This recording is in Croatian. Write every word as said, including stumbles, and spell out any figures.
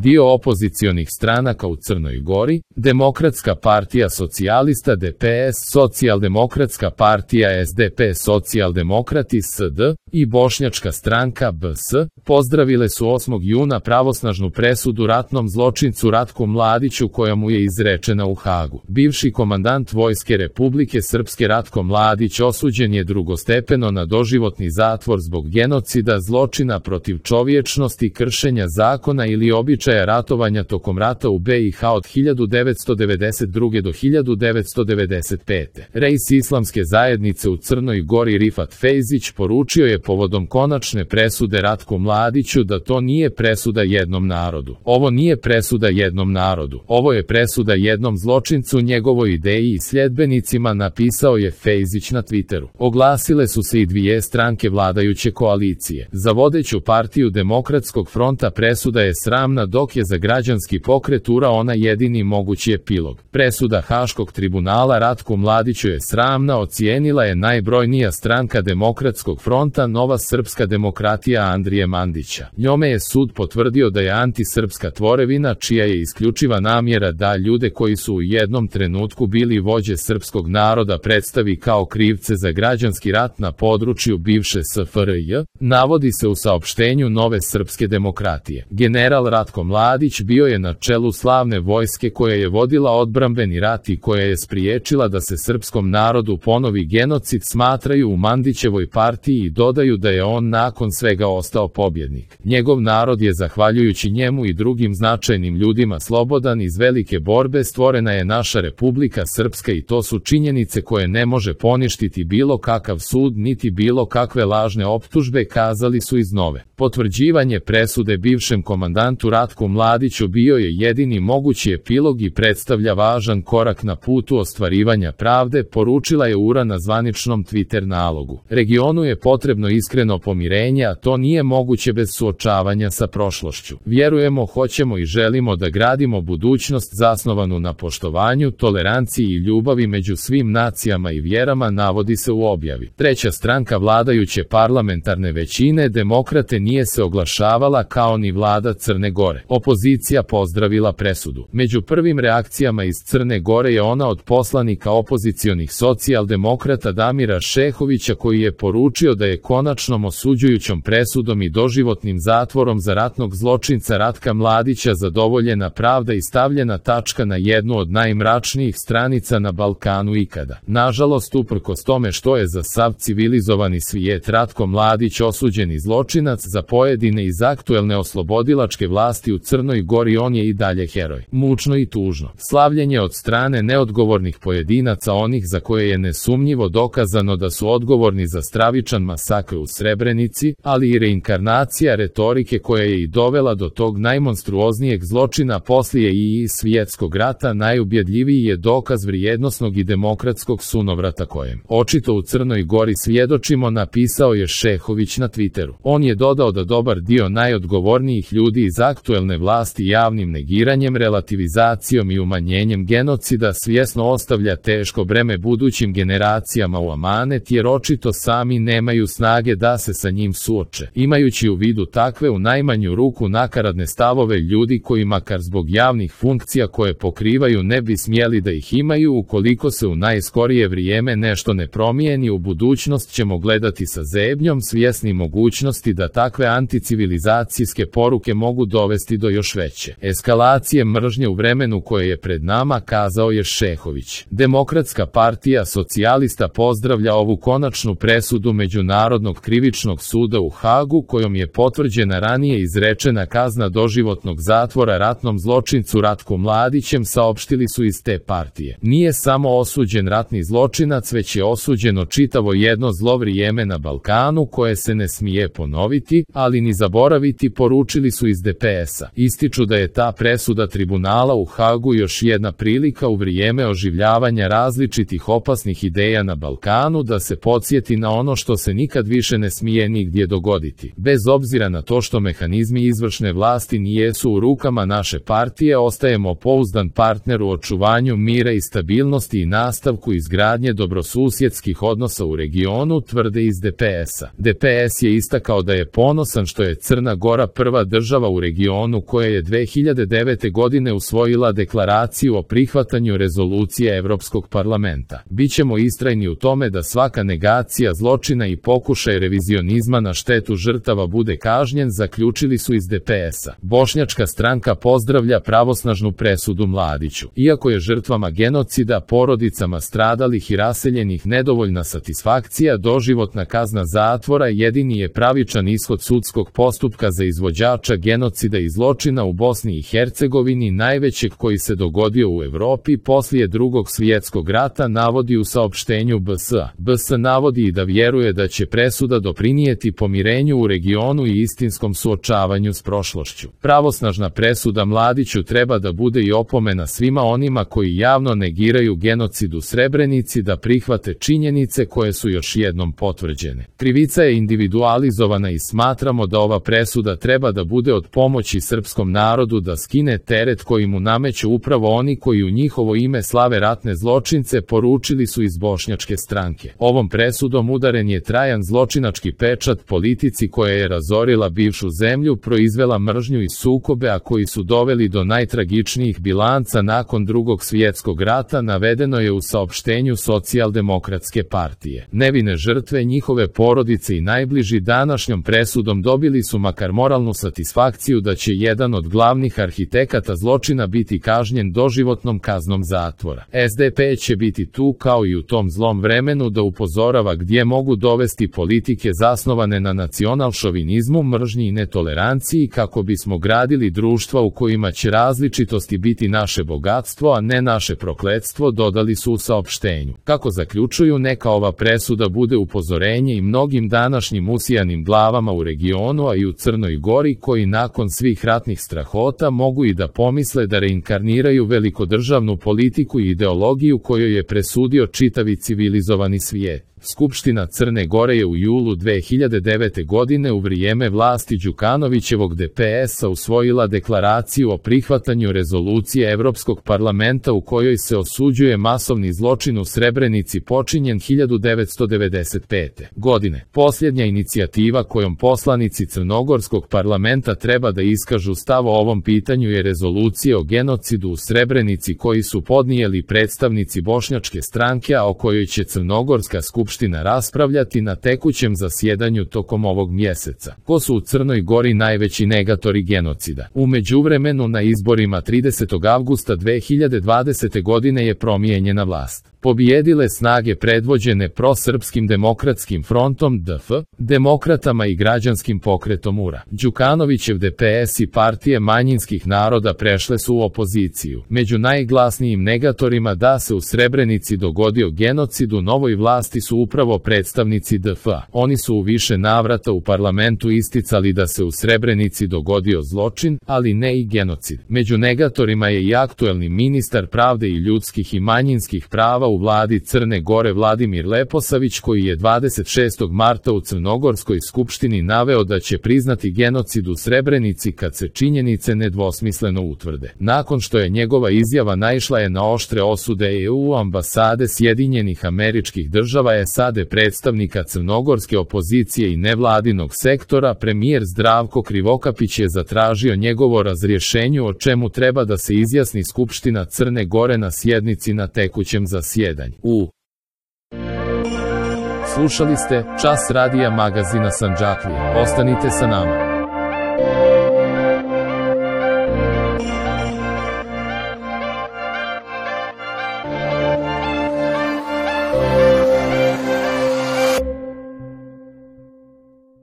dio opozicionih stranaka u Crnoj Gori, Demokratska partija socijalista D P S, Socijaldemokratska partija S D P Socijaldemokrati S D i Bošnjačka stranka B S, pozdravile su osmog juna pravosnažnu presudu ratnom zločincu Ratku Mladiću koja mu je izrečena u Hagu. Bivši komandant Vojske Republike Srpske Ratko Mladić osuđen je drugostepeno na doživotni zatvor zbog genocida, zločina protiv čovječnosti, kršenja zakona ili običaja ratovanja tokom rata u B i H od hiljadu devetsto devedeset druge do hiljadu devetsto devedeset pete. Reis Islamske zajednice u Crnoj Gori Rifat Fejzić poručio je povodom konačne presude Ratku Mladiću da to nije presuda jednom narodu. Ovo nije presuda jednom narodu. Ovo je presuda jednom zločincu, njegovoj ideji i sljedbenicima, napisao je Fejzić na Twitteru. Oglasile su se i dvije stranke vladajuće koalicije. Za vodeću partiju Demokratskog fronta presuda je sramna, dok je za građanski pokret U R A ona jedini mogući epilog. Presuda Haškog tribunala Ratku Mladiću je sramna, ocijenila je najbrojnija stranka Demokratskog fronta Nova srpska demokratija Andrije Mandića. Njome je sud potvrdio da je antisrpska tvorevina čija je isključiva namjera da ljude koji su u jednom trenutku bili vođe srpskog naroda predstavi kao krivce za građanski rat na području bivše S F R J, navodi se u saopštenju Nove srpske demokratije. General Ratko Mladić bio je na čelu slavne vojske koja je vodila odbrambeni rat i koja je spriječila da se srpskom narodu ponovi genocid, smatraju u Mandićevoj partiji i dodaju da je on nakon svega ostao pobjednik. Njegov narod je zahvaljujući njemu i drugim značajnim ljudima slobodan. Iz velike borbe stvorena je naša Republika Srpska i to su činjenice koje ne može poništiti bilo kakav sud niti bilo kakve lažne optužbe, kazali su iz Nove. Potvrđivanje presude bivšem komandantu Ratku Mladiću bio je jedini mogući epilog i predstavlja važan korak na putu ostvarivanja pravde, poručila je U R A na zvaničnom Twitter nalogu. Regionu je potrebno iskreno pomirenje, a to nije moguće bez suočavanja sa prošlošću. Vjerujemo, hoćemo i želimo da gradimo budućnost zasnovanu na poštovanju, toleranciji i ljubavi među svim nacijama i vjerama, navodi se u objavi. Treća stranka vladajuće parlamentarne većine, Demokrate, nije se oglašavala kao ni vlada Crne Gore. Opozicija pozdravila presudu. Među prvim reakcijama iz Crne Gore je ona od poslanika opozicionih socijaldemokrata Damira Šehovića, koji je poručio da je konačnom osuđujućom presudom i doživotnim zatvorom za ratnog zločinca Ratka Mladića zadovoljena pravda i stavljena tačka na jednu od najmračnijih stranica na Balkanu ikada. Nažalost, uprkos tome što je za sav civilizovani svijet Ratko Mladić osuđeni zločinac, za pojedine iz aktuelne oslobodilačke vlasti u Crnoj Gori on je i dalje heroj. Mučno i tužno. Slavljenje od strane neodgovornih pojedinaca, onih za koje je nesumnjivo dokazano da su odgovorni za stravičan masakr u Srebrenici, ali i reinkarnacija retorike koja je i dovela do tog najmonstruoznijeg zločina poslije i svjetskog rata, najubjedljiviji je dokaz vrijednosnog i demokratskog sunovrata kojem očito u Crnoj Gori svjedočimo, napisao je Šehović na Twitteru. On je dodao da dobar dio najodgovornijih ljudi iz aktuelne vlasti javnim negiranjem, relativizacijom i umanjenjem genocida svjesno ostavlja teško breme budućim generacijama u amanet, jer očito sami nemaju snage da se sa njim suoče. Imajući u vidu takve u najmanju ruku nakaradne stavove ljudi koji makar zbog javnih funkcija koje pokrivaju ne bi smjeli da ih imaju, ukoliko se u najskorije vrijeme nešto ne promijeni, u budućnost ćemo gledati sa zebnjom, svjesni mogućnosti da takve anticivilizacijske poruke mogu dovesti do još veće eskalacije mržnje u vremenu koje je pred nama, kazao je Šehović. Demokratska partija socijalista pozdravlja ovu konačnu presudu Međunarodnog krivičnog suda u Hagu, kojom je potvrđena ranije izrečena kazna doživotnog zatvora ratnom zločincu Ratku Mladićem, saopštili su iz te partije. Nije samo osuđen ratni zločinac, već je osuđeno čitavo jedno zlo vrijeme na Balkanu koje se ne smije ponoviti, ali ni zaboraviti, poručili su iz D P S-a. Ističu da je ta presuda tribunala u Hagu još jedna prilika u vrijeme oživljavanja različitih opasnih ideja na Balkanu da se podsjeti na ono što se nikad više ne smije nigdje dogoditi. Bez obzira na to što mehanizmi izvršne vlasti nijesu u rukama naše partije, ostajemo pouzdan partner u očuvanju mira i stabilnosti i nastavku izgradnje dobrosusjedskih odnosa u regionu, tvrde iz D P S-a. D P S je istakao da je ponosan što je Crna Gora prva država u regionu regionu koja je dve hiljade devete. godine usvojila deklaraciju o prihvatanju rezolucije Evropskog parlamenta. Bićemo istrajni u tome da svaka negacija zločina i pokušaj revizionizma na štetu žrtava bude kažnjen, zaključili su iz D P S-a. Bošnjačka stranka pozdravlja pravosnažnu presudu Mladiću. Iako je žrtvama genocida, porodicama stradalih i raseljenih nedovoljna satisfakcija, doživotna kazna zatvora jedini je pravičan ishod sudskog postupka za izvođača genocida i zločina u Bosni i Hercegovini, najvećeg koji se dogodio u Evropi poslije Drugog svjetskog rata, navodi u saopštenju B S A. B S navodi i da vjeruje da će presuda doprinijeti pomirenju u regionu i istinskom suočavanju s prošlošću. Pravosnažna presuda Mladiću treba da bude i opomena svima onima koji javno negiraju genocid u Srebrenici da prihvate činjenice koje su još jednom potvrđene. Krivica je individualizovana i smatramo da ova presuda treba da bude od pomoći srpskom narodu da skine teret koji mu nameću upravo oni koji u njihovo ime slave ratne zločince, poručili su iz Bošnjačke stranke. Ovom presudom udaren je trajan zločinački pečat politici koja je razorila bivšu zemlju, proizvela mržnju i sukobe, a koji su doveli do najtragičnijih bilanca nakon Drugog svjetskog rata, navedeno je u saopštenju Socijaldemokratske partije. Nevine žrtve, njihove porodice i najbliži današnjom presudom dobili su makar moralnu satisfakciju da će jedan od glavnih arhitekata zločina biti kažnjen doživotnom kaznom zatvora. S D P će biti tu kao i u tom zlom vremenu da upozorava gdje mogu dovesti politike zasnovane na nacionalšovinizmu, mržnji i netoleranciji kako bismo gradili društva u kojima će različitosti biti naše bogatstvo, a ne naše prokletstvo, dodali su u saopštenju. Kako zaključuju, neka ova presuda bude upozorenje i mnogim današnjim usijanim glavama u regionu, a i u Crnoj Gori, koji nakon svih ratnih strahota mogu i da pomisle da reinkarniraju velikodržavnu politiku i ideologiju kojoj je presudio čitavi civilizovani svijet. Skupština Crne Gore je u julu dve hiljade devete. godine u vrijeme vlasti Đukanovićevog D P S-a usvojila deklaraciju o prihvatanju rezolucije Evropskog parlamenta u kojoj se osuđuje masovni zločin u Srebrenici počinjen hiljadu devetsto devedeset pete. godine. Posljednja inicijativa kojom poslanici Crnogorskog parlamenta treba da iskažu stav o ovom pitanju je rezolucija o genocidu u Srebrenici koji su podnijeli predstavnici Bošnjačke stranke, a o kojoj će Crnogorska skupština Skupština raspravljati na tekućem zasjedanju tokom ovog mjeseca. Ko su u Crnoj Gori najveći negatori genocida? U međuvremenu na izborima tridesetog avgusta dve hiljade dvadesete. godine je promijenjena vlast. Pobijedile snage predvođene prosrpskim demokratskim frontom D F, demokratama i građanskim pokretom U R A. Đukanovićev D P S i partije manjinskih naroda prešle su u opoziciju. Među najglasnijim negatorima da se u Srebrenici dogodio genocid u novoj vlasti su upravo predstavnici D F-a. Oni su u više navrata u parlamentu isticali da se u Srebrenici dogodio zločin, ali ne i genocid. Među negatorima je i aktuelni ministar pravde i ljudskih i manjinskih prava u vladi Crne Gore Vladimir Leposavić, koji je dvadeset šestog marta u Crnogorskoj skupštini naveo da će priznati genocid u Srebrenici kad se činjenice nedvosmisleno utvrde. Nakon što je njegova izjava naišla je na oštre osude E U ambasade Sjedinjenih Američkih Država, S A D, predstavnika crnogorske opozicije i nevladinog sektora, premijer Zdravko Krivokapić je zatražio njegovo razrješenje, o čemu treba da se izjasni Skupština Crne Gore na sjednici na tekućem zasjedanju. U Slušali ste Čas radija magazina Sandžaklija. Ostanite sa nama.